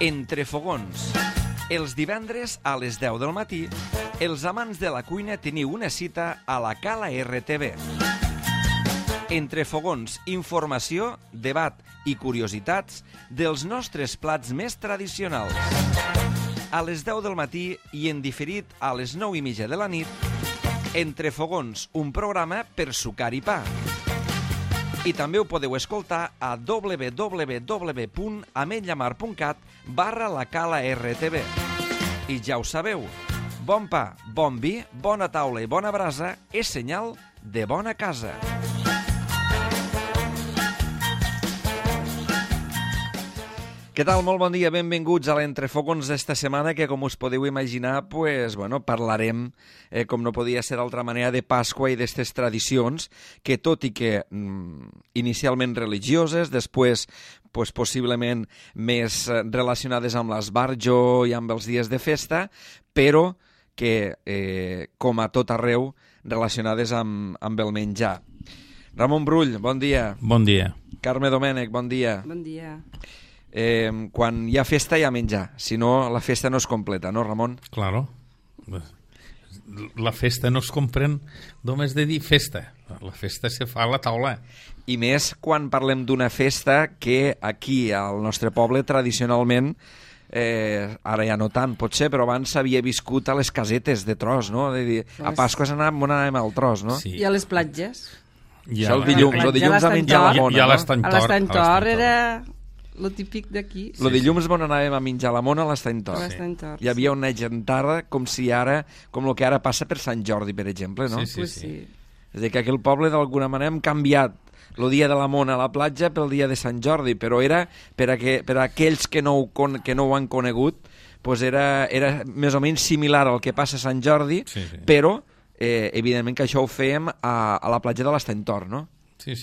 Entre fogons. Els divendres a les 10 del matí, els amants de la cuina teniu una cita a la Cala RTV. Entre fogons, informació, debat i curiositats dels nostres plats més tradicionals. A les 10 del matí i en diferit a les 9:30 de la nit, Entre fogons, un programa per sucar i pa. I també ho podeu escoltar a www.ametlllamar.cat/la Cala RTV. I ja ho sabeu, bon pa, bon vi, bona taula i bona brasa és senyal de bona casa. Què tal? Molt bon dia, benvinguts a l'Entrefogons d'esta setmana, que com us podeu imaginar, parlarem, com no podia ser d'altra manera, de Pasqua i d'estes tradicions, que tot i que inicialment religioses, després possiblement més relacionades amb l'esbarjo i amb els dies de festa, però que, com a tot arreu, relacionades amb el menjar. Ramon Brull, bon dia. Bon dia. Carme Domènech, bon dia. Bon dia. Quan hi ha festa hi ha menjar, si no la festa no es completa, no, Ramon? Claro. La festa no es comprèn només de dir festa. La festa se fa a la taula. I més quan parlem d'una festa que aquí al nostre poble tradicionalment, ara ja no tant potser, però abans s'havia viscut a les casetes de tros, no? De dir, a Pasqua anàvem al tros, no? Sí. I a les platges. Això el dilluns a menjar la mona, no? A l'Estany Tor era lo típic d'aquí. El dilluns on anàvem a menjar la mona a l'Estany Tor. Hi havia una gentada com el que ara passa per Sant Jordi, per exemple, no? Sí. Sí. És a dir, que aquell poble d'alguna manera hem canviat el dia de la mona a la platja pel dia de Sant Jordi, però era per a aquells que no ho han conegut, era més o menys similar al que passa a Sant Jordi, però evidentment que això ho fèiem a la platja de l'Estany Tor, no? Sí,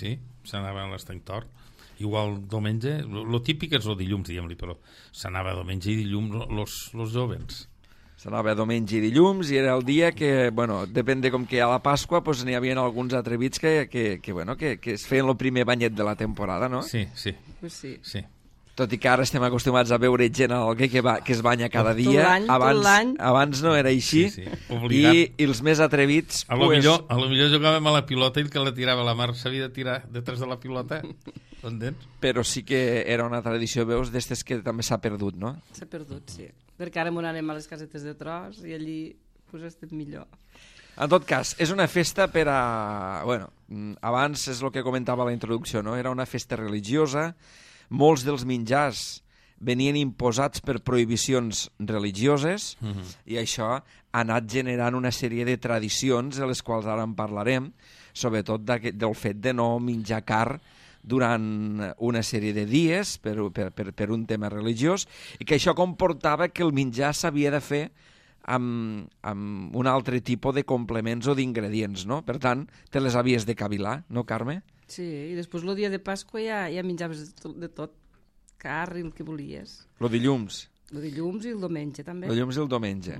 s'anava a l'Estany Tor. Igual diumenge, el típic és el dilluns, diguem-li, però s'anava diumenge i dilluns los jovens. S'anava diumenge i dilluns i era el dia que, depèn de com que hi ha la Pasqua, n'hi havia alguns atrevits que es feien el primer banyet de la temporada, no? Sí. Tot i que ara estem acostumats a veure gent que es banya cada dia. Tot l'any. Abans no era així. Sí. I els més atrevits... A lo millor jugàvem a la pilota i el que la tirava a la mar s'havia de tirar detrás de la pilota. Però sí que era una tradició, veus, d'estes que també s'ha perdut, no? S'ha perdut, sí. Perquè ara m'on anem a les casetes de tros i allí estem millor. En tot cas, és una festa per a... abans és el que comentava a la introducció, no? Era una festa religiosa. Molts dels menjars venien imposats per prohibicions religioses i això ha anat generant una sèrie de tradicions de les quals ara en parlarem, sobretot del fet de no menjar car durant una sèrie de dies per un tema religiós, i que això comportava que el menjar s'havia de fer amb un altre tipus de complements o d'ingredients, no? Per tant, te les havies de cavilar, no, Carme? Sí, i després el dia de Pasqua ja menjaves de tot, car i el que volies. El dilluns. El dilluns i el diumenge, també. El dilluns i el diumenge.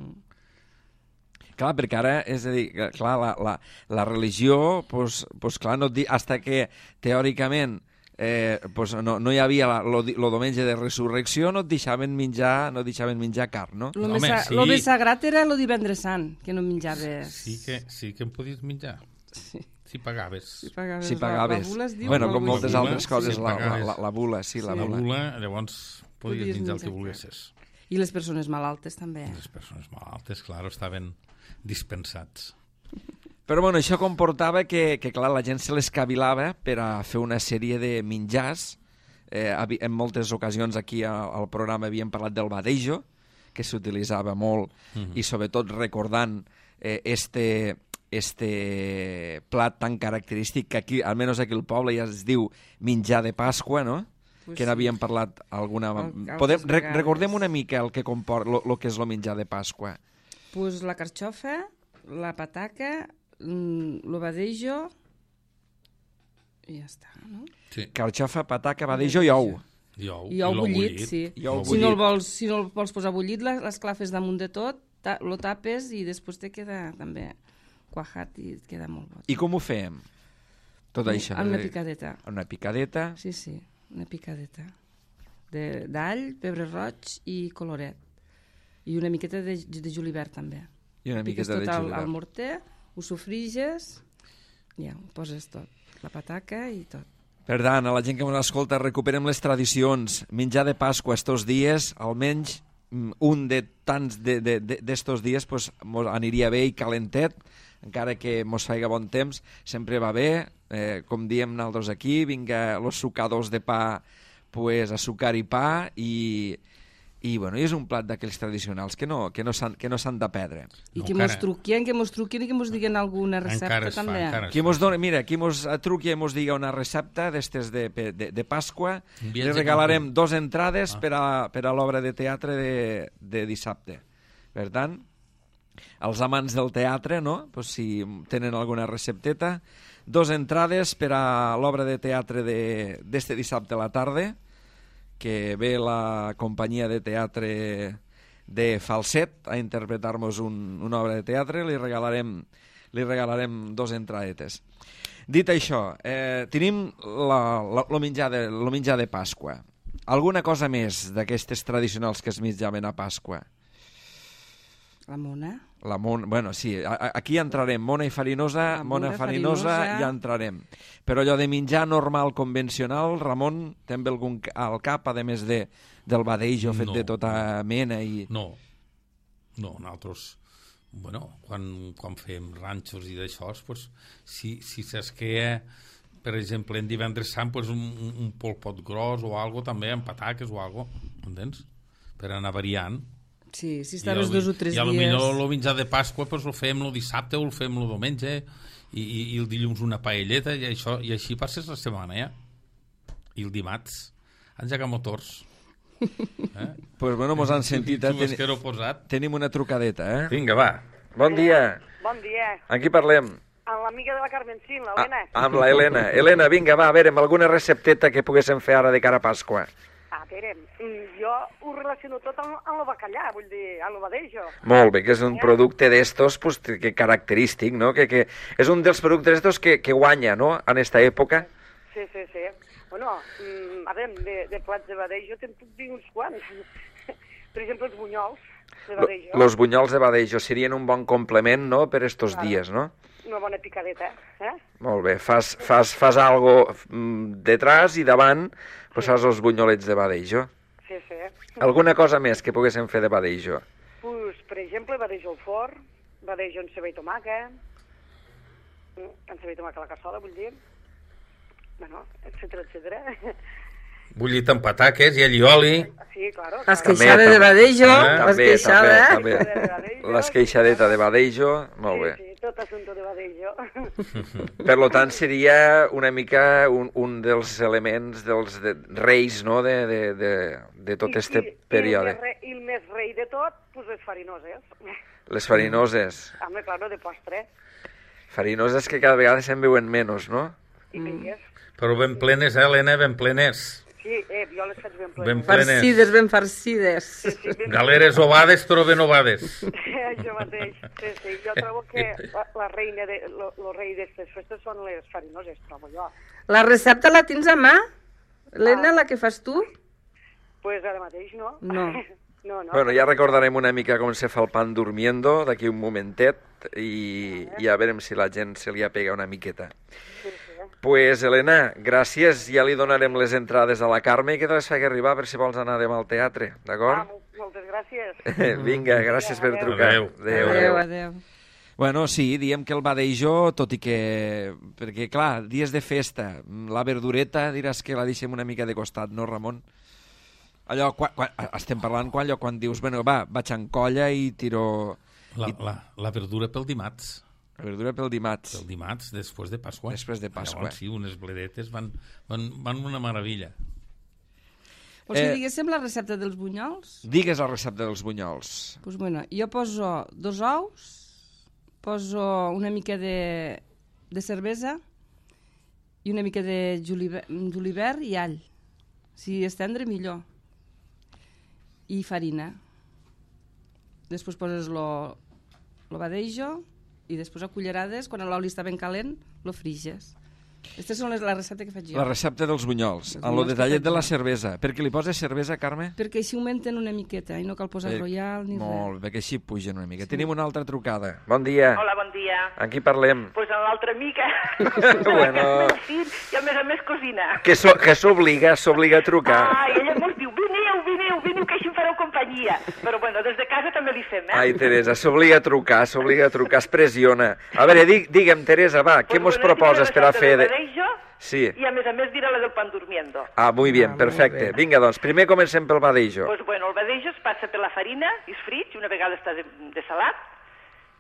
Clar, perquè ara, és a dir, clar, la religió, clar, no et dic, hasta que teòricament no hi havia el diumenge de resurrecció, no et deixaven menjar carn, no? El més sagrat era el divendres sant, que no menjaves... Sí que em podies menjar. Sí. Si pagaves. Si pagaves. La bula es diu... Com moltes altres coses, la bula, sí, la bula. La bula, llavors podies menjar el que volguessis. I les persones malaltes també. Les persones malaltes, clar, estaven dispensats. Però això comportava que clar, la gent se les cavilava per a fer una sèrie de menjars. En moltes ocasions aquí al programa havíem parlat del badejo, que s'utilitzava molt, i sobretot recordant este plat tan característic que aquí, almenys aquí al poble, ja es diu menjar de Pasqua, no? Que n'havíem parlat alguna... Recordem una mica el que comporta, el que és el menjar de Pasqua. Pues la carxofa, la pataca, el badejo i ja està, no? Sí. Carxofa, pataca, badejo i ou. I ou bullit, sí. Si no el vols posar bullit, l'esclafes damunt de tot, lo tapes i després te queda també cuajat i et queda molt bo. I com ho fèiem? Tot això? Amb una picadeta. Una picadeta? Sí, una picadeta. d'all, pebre roig i coloret. I una miqueta de julivert també. I una miqueta de julivert. Al morter, ho sofriges, ja, ho poses tot. La pataca i tot. Per tant, a la gent que ens escolta, recuperem les tradicions. Menjar de Pasqua estos dies, almenys un de tants d'estos dies pues, aniria bé i calentet, encara que mos faiga bon temps, sempre va bé. Com diem nosaltres aquí, vinga los sucadors de pa, pues, a sucar i pa, i bueno, és un plat d'aquells tradicionals que no s'han de perdre. I que mos truquien i que mos diguen alguna recepta també. Qui mos truqui i mos diga una recepta d'estes de Pasqua, li regalarem 2 entrades per a l'obra de teatre de dissabte. Per tant, els amants del teatre, no? Pues si tenen alguna recepteta, 2 entrades per a l'obra de teatre d'este dissabte a la tarda, que ve la companyia de teatre de Falset a interpretar-nos una obra de teatre, li regalarem 2 entradetes. Dit això, tenim el menjar de Pasqua. Alguna cosa més d'aquestes tradicionals que es menjaven a Pasqua? La mona. Bueno, sí, aquí entrarem. Mona i farinosa, ja entrarem. Però allò de menjar normal, convencional, Ramon, també algun al cap, a més del badeijo fet de tota mena? No, nosaltres, bueno, quan fem ranxos i d'això, pues, si s'esquea, per exemple, en divendres sant, pues, un polpot gros o algo també, amb pataques o algo, entens? Per anar variant. Sí, si estaves 2 o 3 dies... I potser el menjar de Pasqua pues, el fem el dissabte o el fem el diumenge i el dilluns una paelleta i així passes la setmana, ja. I el dimarts engegar motors. Pues bueno, mos han sentit. Tenim una trucadeta, eh? Vinga, va. Bon dia. Bon dia. Amb qui parlem? Amb l'amiga de la Carmencín, l'Helena. Amb la Helena. Helena, vinga, va, a veure, amb alguna recepteta que poguéssim fer ara de cara a Pasqua. A veure, jo ho relaciono tot amb el bacallà, vull dir, amb el badeijo. Molt bé, que és un producte d'estos pues, que característic, no? Que és un dels productes d'estos que guanya, no?, en esta època. Sí. Bueno, a veure, de plats de badeijo te'n puc dir uns quants. Per exemple, els bunyols de badeijo. Los bunyols de badeijo serien un bon complement, no?, per estos dies, no? Una bona picadeta, eh? Molt bé, fas algo detrás i davant, pues fas els bunyolets de badeijo. Sí. Alguna cosa més que poguéssim fer de badeijo? Pues, per exemple, badeijo al forn, badeijo amb ceba i tomàquet, amb ceba i tomàquet a la cassola, vull dir, bueno, etcètera. Bullit amb pataques i allioli. Sí, claro. L'esqueixada de badeijo, l'esqueixada. També. L'esqueixadeta de badeijo, molt bé. Sí, tot assumpte de badeijo. Per tant, seria una mica un dels elements dels reis, no?, de tot este període. I el més rei de tot, pues les farinoses. Les farinoses. Home, claro, de postre. Farinoses que cada vegada se'n veuen menys, no? I pilles. Però ben plenes, Helena, ben plenes. Sí, jo les faig ben plenes. Ben farcides. Sí, Galeres ovades, però ben ovades. Això mateix. Sí. Jo trobo que la reina, el rei d'aquestes festes són les farinoses, trobo jo. La recepta la tens a mà? Helena, la que fas tu? Pues ara mateix no. No. Bueno, ja recordarem una mica com se fa el pan durmiendo d'aquí un momentet i a veurem si la gent se li apega una miqueta. Sí. Pues, Helena, gràcies. Ja li donarem les entrades a la Carme i que te les faci arribar per si vols anar demà al teatre, d'acord? Moltes gràcies. Vinga, gràcies per trucar. Adéu. Bueno, sí, diem que el badeijo, tot i que... Perquè, clar, dies de festa, la verdureta diràs que la deixem una mica de costat, no, Ramon? Allò, estem parlant quan dius, bueno, va, vaig en colla i tiro... La verdura pel dimarts. La verdura pel dimarts. Pel dimarts, després de Pasqua. Després de Pasqua. Llavors, sí, unes bledetes van una meravella. Vols que diguéssim la recepta dels bunyols? Digues la recepta dels bunyols. Pues bueno, jo poso 2 ous, poso una mica de cervesa i una mica de julivert i all. Si és tendre, millor. I farina. Després poses lo badeijo i després a cullerades, quan l'oli està ben calent, lo friges. Aquestes són la recepta que faig jo. La recepta dels bunyols, en el detallet de la cervesa. Per què li poses cervesa, Carme? Perquè així augmenten una miqueta i no cal posar royal ni Molt res. bé, perquè així pugen una mica. Tenim una altra trucada. Bon dia. Hola, bon dia. Amb qui parlem? Pues amb l'altra amiga. Bueno. El fill, i a més cosina. Que s'obliga a trucar. I ella mos diu, veniu, que així em fareu companyia. Però bueno, des de casa també li fem, Ai, Teresa, s'obliga a trucar, es pressiona. A veure, digue'm, Teresa, va, què mos proposes per a fer... Sí. I a més dirà la del pan durmiendo. Ah, muy bien, perfecte. Vinga, doncs, primer comencem pel badejo. Pues bueno, el badejo es passa per la farina, es frit, i una vegada està de salat,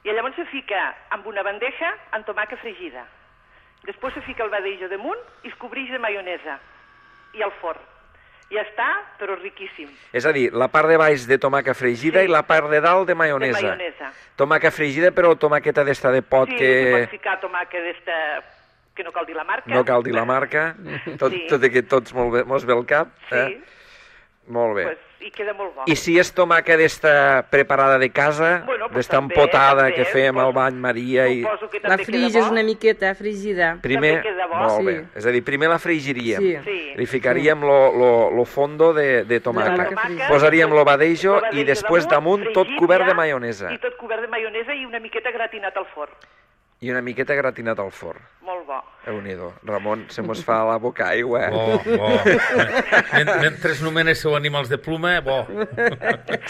i llavors se fica amb una bandeja amb tomàquet fregida. Després se fica el badejo damunt i es cobreix de maionesa i al forn. Ja està, però riquíssim. És a dir, la part de baix de tomàquet fregida i la part de dalt de maionesa. De maionesa. Tomàquet fregida, però tomàqueta d'esta de pot Sí, que... Sí, pots ficar tomàquet d'esta... que no cal dir la marca. No cal dir la marca. Tot i que tots mos ve el cap. Sí. Molt bé. Pues, i queda molt bo. I si és tomàquet d'esta preparada de casa, Bueno, pues d'esta també, empotada també, que fem al bany Maria i... Suposo que La també friges queda bo. una miqueta, fregida. Primer, També queda bo. molt bé. Sí. És a dir, primer la frigiríem. Sí. Sí. Li ficaríem lo fondo de tomàquet. Posaríem lo badejo i després damunt tot fregit cobert de ja, maionesa. I tot cobert de maionesa i una miqueta gratinat al forn. I una miqueta gratinat al forn. Molt bo. Déu-n'hi-do. Ramon, se mos fa la boca aigua. Bo. Mentre nomeneu animals de pluma, bo.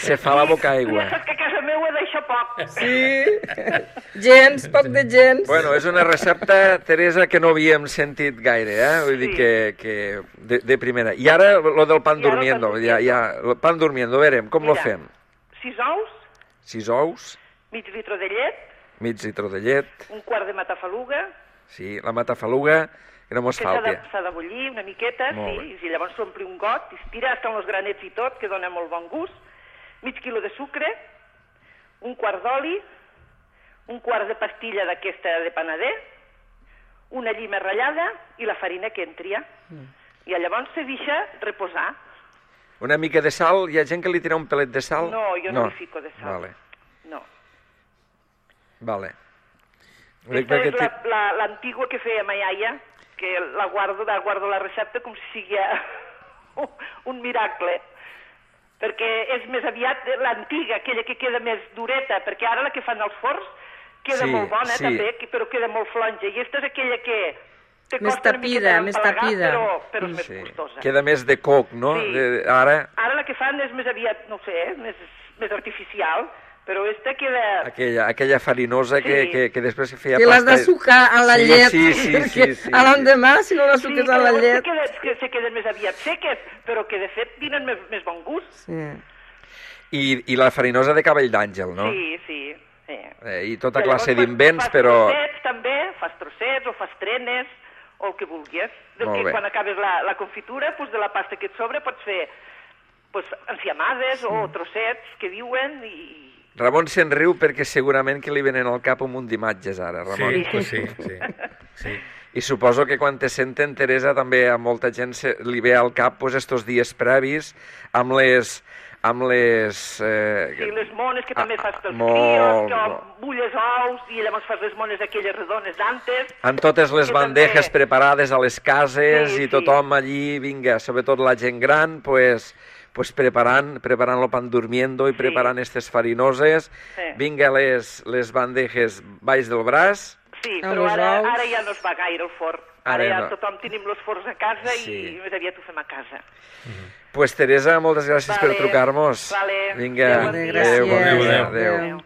Se fa la boca aigua. Ja saps que a casa meva d'això poc. Sí, poc de gens. Bueno, és una recepta, Teresa, que no havíem sentit gaire, Vull dir que de primera. I ara lo del pan durmiendo. El pan durmiendo, a veure, com lo fem? 6 ous. 6 ous. Mig litre de llet. Mig litre de llet. Un quart de matafaluga. Sí, la matafaluga, que no mos falti. S'ha de bullir una miqueta, sí, i llavors s'ompli un got, i es tira fins als granets i tot, que dona molt bon gust. Mig quilo de sucre, un quart d'oli, un quart de pastilla d'aquesta de panader, una llima ratllada i la farina que entria. I llavors se deixa reposar. Una mica de sal, hi ha gent que li tira un pelet de sal? No, jo no li fico de sal. Vale. No. Vale. Aquesta és l'antigua que feia ma iaia, que la guardo la recepta com si sigui un miracle. Perquè és més aviat l'antiga, aquella que queda més dureta, perquè ara la que fan als forns queda molt bona també, però queda molt flonja. I aquesta és aquella que te costa una miqueta d'empalagar, però és més gustosa. Queda més de coc, no? Sí. Ara la que fan és més aviat, no sé, més artificial, però esta queda... Aquella farinosa que després se feia pasta... Que l'has de sucar a la llet. Sí. A l'endemà, si no la suques a la llet... Sí, se queden més aviat seques, però que de fet tenen més bon gust. Sí. I la farinosa de cabell d'àngel, no? Sí. I tota classe d'invents, però... Fas trossets també, fas trossets o fas trenes, o el que vulguis. Quan acabes la confitura, de la pasta que et sobra, pots fer enciamades o trossets que diuen i... Ramon se'n riu perquè segurament que li venen al cap un munt d'imatges ara, Ramon. Sí. I suposo que quan te senten, Teresa, també a molta gent li ve al cap estos dies previs amb les... Sí, les mones que també fas pels crios, que bulles ous i llavors fas les mones aquelles redones d'antes. Amb totes les bandejes preparades a les cases i tothom allí, vinga, sobretot la gent gran, pues preparant lo pan durmiendo i preparant aquestes farinoses. Vinga, les bandejes baix del braç. Sí, però ara ja no es va gaire el forn. Ara ja tothom tenim els forns a casa i més aviat ho fem a casa. Pues Teresa, moltes gràcies per trucar-nos. Vinga, adéu.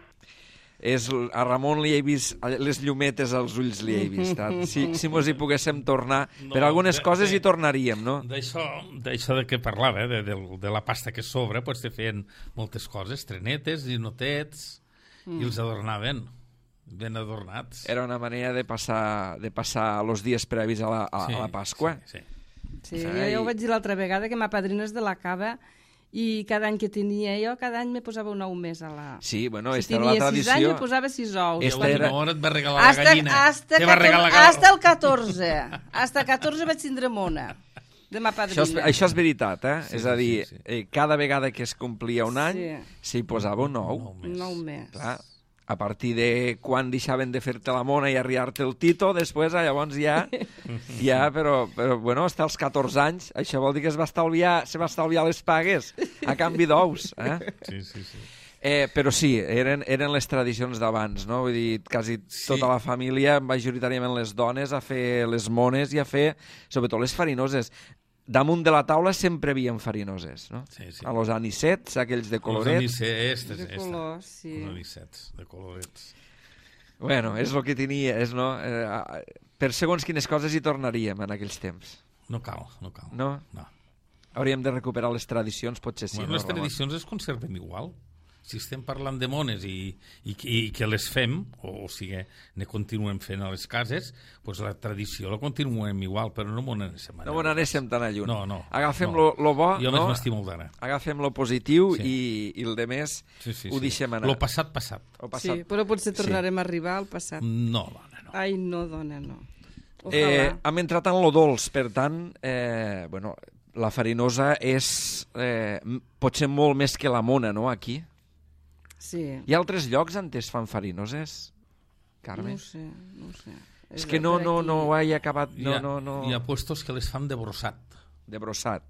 A Ramon li he vist les llumetes als ulls, li he vist. Si mos hi poguéssim tornar, per algunes coses hi tornaríem, no? D'això de què parlava, de la pasta que sobra, pues te feien moltes coses, trenetes, ninotets, i els adornaven, ben adornats. Era una manera de passar els dies previs a la Pasqua. Sí, jo ja ho vaig dir l'altra vegada, que ma padrina és de la Cava, i cada any que tenia jo, cada any me posava un ou més a la... Sí, bueno, esta era la tradició. Si tenia 6 anys, me posava 6 ous. I a l'última hora et va regalar la gallina. Hasta el 14. Hasta el 14 vaig tindre mona, de ma padrina. Això és veritat, és a dir, cada vegada que es complia un any, s'hi posava un ou. Un ou més. Clar. A partir de quan deixaven de fer-te la mona i arribar-te el tito, després llavors ja però bueno, hasta els 14 anys, això vol dir que se va estalviar les pagues a canvi d'ous. Sí. Però sí, eren les tradicions d'abans, no? Vull dir, quasi tota la família, majoritàriament les dones, a fer les mones i a fer, sobretot, les farinoses. Damunt de la taula sempre hi havia farinoses, no? Sí. A los anisets, aquells de colorets. De colors, sí. Els anisets, de colorets. Bueno, és el que tenia, no? Per segons quines coses hi tornaríem en aquells temps. No cal. No? Hauríem de recuperar les tradicions, potser sí. Bueno, les tradicions es conserven igual. Si estem parlant de mones i que les fem, o sigui, ne continuem fent a les cases, doncs la tradició la continuem igual, però no m'ho anéssim No m'ho anéssim tan a lluny. No. Agafem lo bo, jo més m'estimo el d'ara. Agafem lo positiu i el de més ho deixem anar. Lo passat. Sí, però potser tornarem a arribar al passat. No, dona, no. Ai, no, dona, no. Ojalà. Hem entrat en lo dolç, per tant, bueno, la farinosa és potser molt més que la mona, no, aquí? Sí. Hi ha altres llocs on es fan farinoses, Carme? No ho sé. És que no ho he acabat... Hi ha puestos que les fan de brossat. De brossat.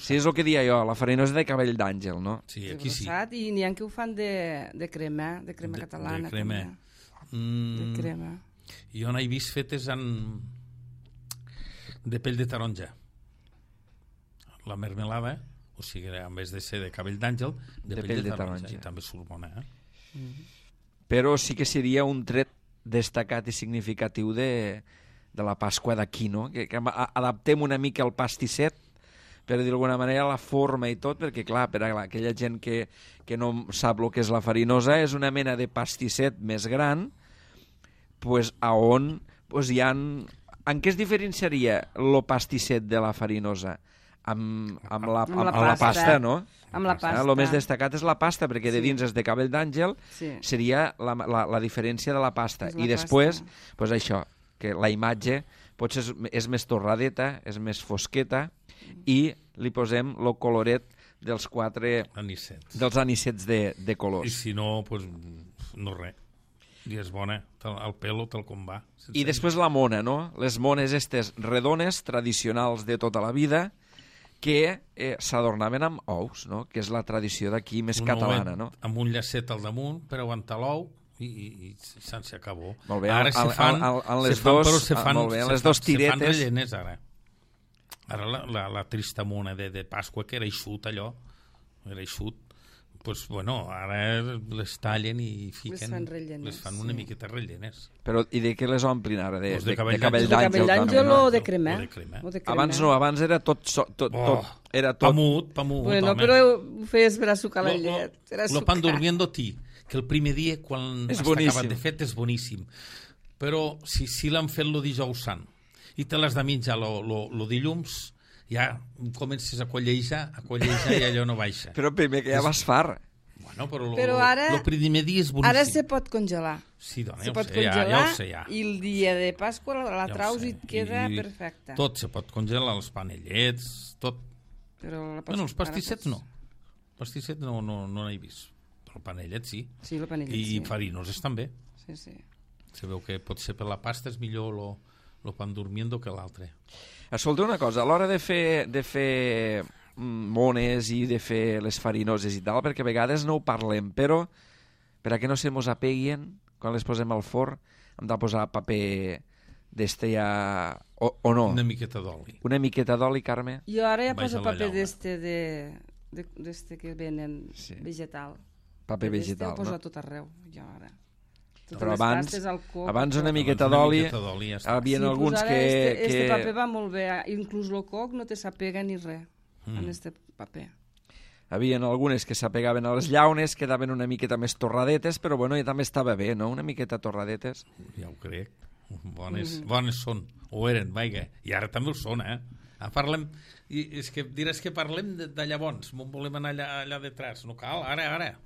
Sí, és el que dia jo, la farinosa de cabell d'àngel, no? Sí, aquí sí. I n'hi ha que ho fan de crema catalana. De crema. De crema. Jo n'he vist fetes de pell de taronja. La mermelada... O sigui, en vez de ser de cabell d'àngel, de pell de taronja. I també surt bona, Però sí que seria un tret destacat i significatiu de la Pasqua d'aquí, no? Que adaptem una mica el pastisset, per dir d'alguna manera, la forma i tot, perquè, clar, per a aquella gent que no sap el que és la farinosa, és una mena de pastisset més gran, pues, on pues, hi ha... En què es diferenciaria el pastisset de la farinosa? Amb la pasta, no? Amb la pasta. El més destacat és la pasta, perquè de dins és de cabell d'àngel, seria la diferència de la pasta. I després, pues això, que la imatge potser és més torradeta, és més fosqueta, i li posem el coloret dels anisets de colors. I si no, pues, no res. I és bona, el pelo tal com va. I després la mona, no? Les mones estes redones, tradicionals de tota la vida, que s'adornaven amb ous, no? Que és la tradició d'aquí més catalana, no? Amb un llacet al damunt per aguantar l'ou i se'n s'acabó. Molt bé, ara se fan les dos tiretes. Se fan rellenes ara. Ara la trista mona de Pasqua, que era eixut allò, pues, bueno, ara les tallen i fiquen... Les fan una miqueta rellenes. Però i de què les omplin ara? De cabell d'àngel? De cabell d'àngel o de crema? Abans era tot... Pamut, bueno, home. però ho feies per a sucar la llet. Lo pan durmiendo ti, que el primer dia, quan està acabat de fet, és boníssim. Però si l'han fet el dijous sant i te l'has de menjar el dilluns, ja comences a collejar i allò no baixa. Però primer que ja vas far. Bueno, però ara, el primer dia és boníssim. Ara se pot congelar. Sí, dona, ja ho sé. I el dia de Pasqua la traus i et queda perfecte. Tot se pot congelar, els panellets, tot. Bueno, els pastissets no. Els pastissets no n'he vist. Però el panellet sí. Sí, el panellet sí. I farinoses també. Sí. Se veu que potser per la pasta és millor lo pan durmiendo que l'altre. Escolta una cosa, a l'hora de fer mones i de fer les farinoses i tal, perquè a vegades no ho parlem, però per a que no se mos apeguin, quan les posem al forn, hem de posar paper d'este ja... o no? Una miqueta d'oli. Una miqueta d'oli, Carme? Jo ara ja poso paper d'este que venen vegetal. Paper vegetal, no? Ho poso a tot arreu, jo ara. Però abans una miqueta d'oli, hi havia alguns que... Este paper va molt bé, inclús el coc no te s'apega ni res en este paper. Hi havia algunes que s'apegaven a les llaunes, quedaven una miqueta més torradetes, però bueno, ja també estava bé, no? Una miqueta torradetes. Ja ho crec. Bones són, o eren, vaja. I ara també ho són, Parlem, i és que diràs que parlem de llavors, volem anar allà detrás. No cal, ara,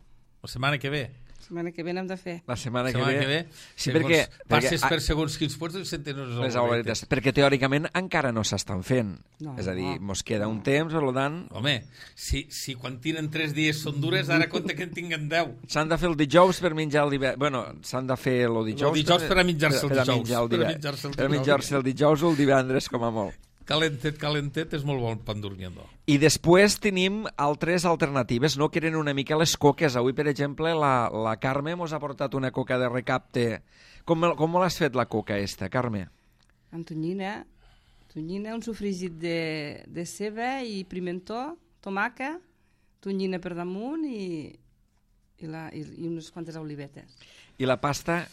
la setmana que ve. setmana que ve n'hem de fer. La setmana que Setmana ve... que ve, Sí, perquè passes per segons quins puestos i senten les auletes. Perquè teòricament encara no s'estan fent. No, És a dir, no. mos queda un temps, per tant... Home, si quan tiren 3 dies són dures, ara compte que en tinguen 10. S'han de fer el dijous per menjar el divendres. Bueno, s'han de fer el dijous... El dijous per a menjar-se el dijous. Per a menjar-se el dijous o el divendres, com a molt. Calentet és molt bon pan durmiendo. I després tenim altres alternatives, no? Que eren una mica les coques. Avui, per exemple, la Carme mos ha portat una coca de recapte. Com l'has fet, la coca esta, Carme? Amb tonyina, un sofregit de ceba i pimentó, tomàquet, tonyina per damunt i unes quantes olivetes. I la pasta?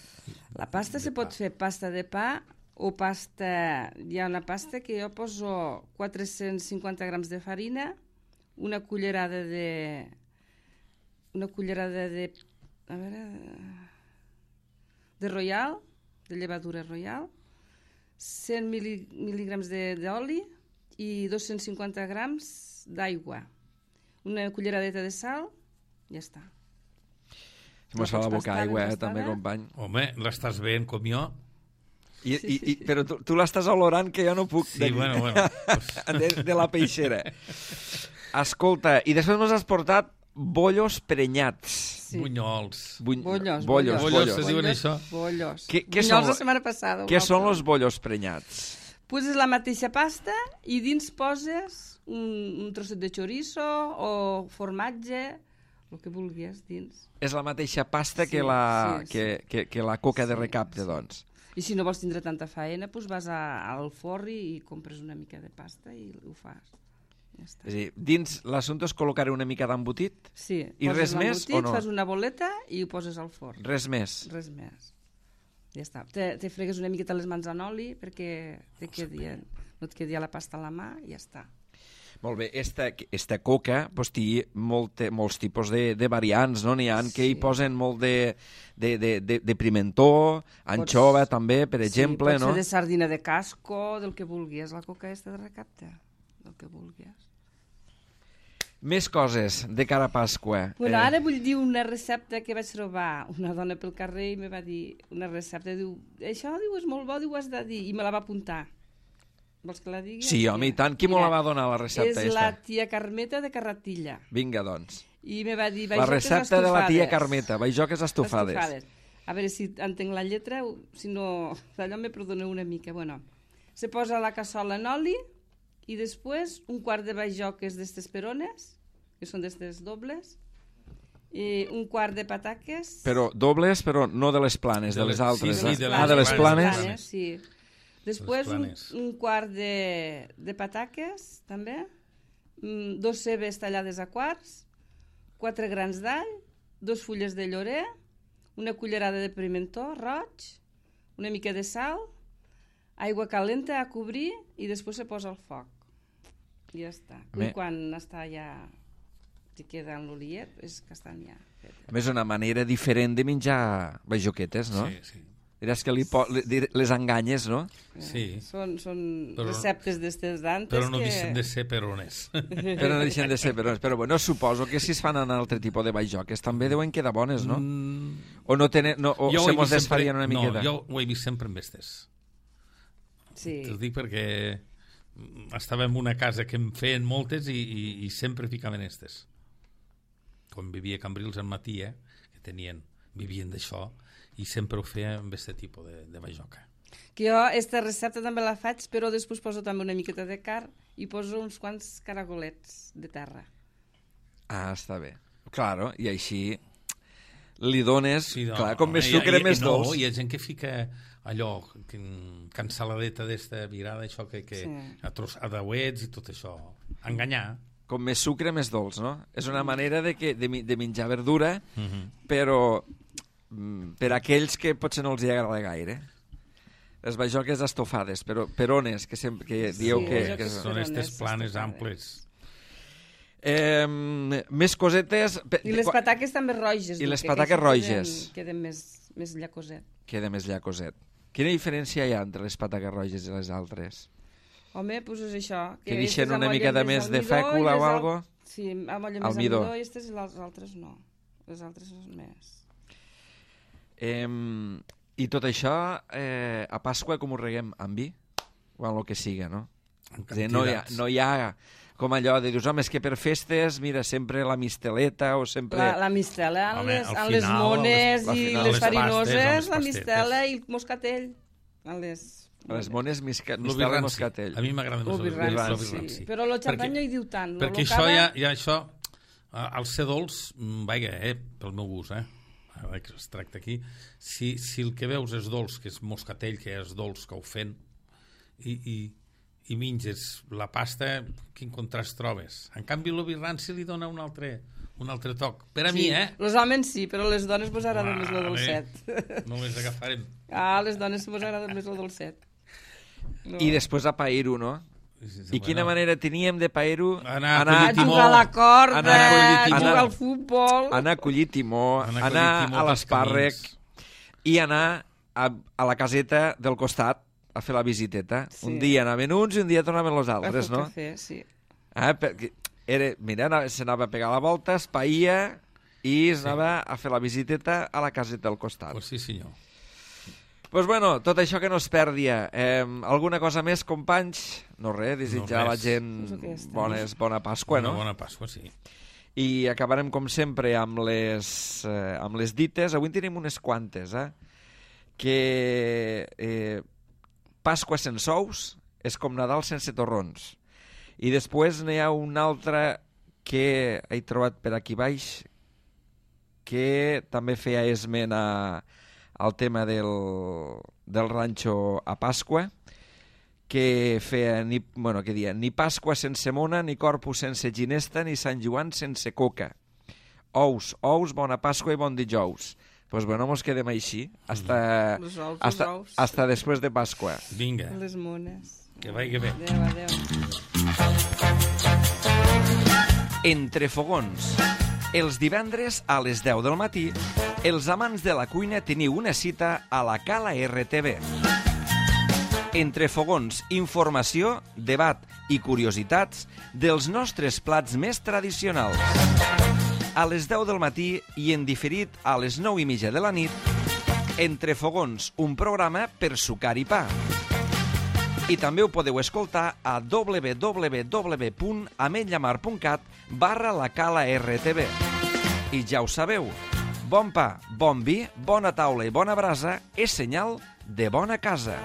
La pasta se pot fer pasta de pa o pasta... Hi ha una pasta que jo poso 450 grams de farina, una cullerada de... A veure... De royal, de llevadura royal, 100 mil·lígrams d'oli i 250 grams d'aigua. Una culleradeta de sal, ja està. Mos fa la boca aigua, també, company. Home, l'estàs veient com jo? Però tu l'estàs olorant que jo no puc. Sí, bueno. De la peixera. Escolta, i després mos has portat bollos prenyats. Sí. Bunyols. Bollos. Se diuen això? Bollos. Bunyols la setmana passada. Què són els bollos prenyats? Poses la mateixa pasta i dins poses un trosset de chorizo o formatge, el que vulguis dins. És la mateixa pasta que la coca de recapte, doncs. I si no vols tindre tanta faena, doncs vas al forn i compres una mica de pasta i ho fas. Ja està. És a dir, dins l'assumpte és col·locar una mica d'embotit? Sí. I res més o no? Fas una boleta i ho poses al forn. Res més? Res més. Ja està. Te fregues una miqueta les mans en oli perquè no et quedi la pasta a la mà i ja està. Molt bé, esta coca pues, té molts tipus de variants, no? N'hi ha que hi posen molt de pimentó, anxova també, per exemple, pot no? ser de sardina de casco, del que vulguis, la coca esta de recapte, del que vulguis. Més coses de cara a Pasqua. Bueno, ara vull dir una recepta que vaig trobar una dona pel carrer i me va dir una recepta, diu, això diu, és molt bo, diu, has de dir, i me la va apuntar. Vols que la digui? Sí, home, i tant. Qui me la va donar, la recepta? És la tia Carmeta de Carratilla. Vinga, doncs. I me va dir la recepta de la tia Carmeta, baijoques estofades. A veure si entenc la lletra, si no, d'allò me perdoneu una mica. Bueno, se posa la cassola en oli i després un quart de baijoques d'estes perones, que són d'estes dobles, i un quart de pataques... Però dobles, però no de les planes, de les altres. Sí, de les planes. Sí. Després un quart de pataques, també, 2 cebes tallades a quarts, 4 grans d'all, 2 fulles de llorer, una cullerada de pimentó roig, una mica de sal, aigua calenta a cobrir i després se posa al foc. I ja està. I quan està ja... si queda en l'oliet, és que estan ja fetes. A més, una manera diferent de menjar baijoquetes, no? Sí. Diràs que les enganyes, no? Sí. Són receptes d'estes d'antes però no deixen de ser perones. Però no deixen de ser perones. Però bueno, suposo que si es fan en altre tipus de baijoques també deuen quedar bones, no? O no tenen... o se mos desfarien una miqueta? No, jo ho he vist sempre amb estes. Sí. T'ho dic perquè estava en una casa que en feien moltes i sempre ficaven estes. Quan vivia a Cambrils al matí, que vivien d'això, i sempre ho feia amb aquest tipus de baijoca. Que jo aquesta recepta també la faig, però després poso també una miqueta de carn i poso uns quants caragolets de terra. Ah, està bé. Claro, i així li dones... Sí, clar, com més sucre, més dolç. No, hi ha gent que fica allò, cansaladeta d'esta virada, això que a dauets i tot això. Enganyar. Com més sucre, més dolç, no? És una manera de menjar verdura, però per aquells que potser no els hi agrada gaire. Les baijoques estofades, però perones, que dieu que són aquestes planes amples. Més cosetes... I les pataques també roges. I les pataques roges. Queden més llacoset. Queda més llacoset. Quina diferència hi ha entre les pataques roges i les altres? Home, doncs és això. Que deixen una mica de més de fècula o algo? Sí, amb olla més almidó i les altres no. Les altres són més... I tot això, a Pasqua com ho reguem? Amb vi? O amb el que siga, no? És a dir, no hi ha com allò de dius, home, és que per festes, mira, sempre la misteleta o sempre... La mistela, Home, amb les mones i les farinoses, la mistela i el moscatell. Les mones, mistela i moscatell. A mi m'agrada més el birranci. Però el xampany no hi diu tant. Perquè això ja això, al ser dolç, vaja, pel meu gust, ara que es tracta aquí, si el que veus és dolç, que és moscatell, que és dolç, que ho fent, i menges la pasta, quin contrast trobes? En canvi, el birranci li dona un altre toc. Per a mi, Els homes sí, però les dones vos agrada més el dolcet. No les agafarem. Les dones vos agrada més el dolcet. No. I després a pair-ho, no? I quina manera teníem de pair-ho? Anar a jugar a la corda, jugar al futbol... Anar a collir timó, anar a l'espàrrec i anar a la caseta del costat a fer la visiteta. Sí. Un dia anaven uns i un dia tornaven els altres, no? Cafè, sí. Mira, s'anava a pegar la volta, es païa i s'anava a fer la visiteta a la caseta del costat. Pues sí, senyor. Pues bueno, tot això que no es perdia. Alguna cosa més, companys? No res, desitjar a la gent bona Pasqua, no? Bona Pasqua, sí. I acabarem, com sempre, amb les dites. Avui en tenim unes quantes, que Pasqua sense ous és com Nadal sense torrons. I després n'hi ha una altra que he trobat per aquí baix que també feia esment al tema del ranxo a Pasqua, que feia, que dia, ni Pasqua sense mona, ni Corpus sense ginesta, ni Sant Joan sense coca. Ous, bona Pasqua i bon dijous. Pues bueno, mos quedem així hasta després de Pasqua. Vinga. Les mones. Que vagi bé. Adéu. Entre fogons. Els divendres a les 10 del matí, els amants de la cuina teniu una cita a la Cala RTV. Entre fogons, informació, debat i curiositats dels nostres plats més tradicionals. A les 10 del matí i en diferit a les 9:30 de la nit, Entre fogons, un programa per sucar i pa. I també ho podeu escoltar a www.ametlllamar.cat/la Cala RTV. I ja ho sabeu, bon pa, bon vi, bona taula i bona brasa és senyal de bona casa.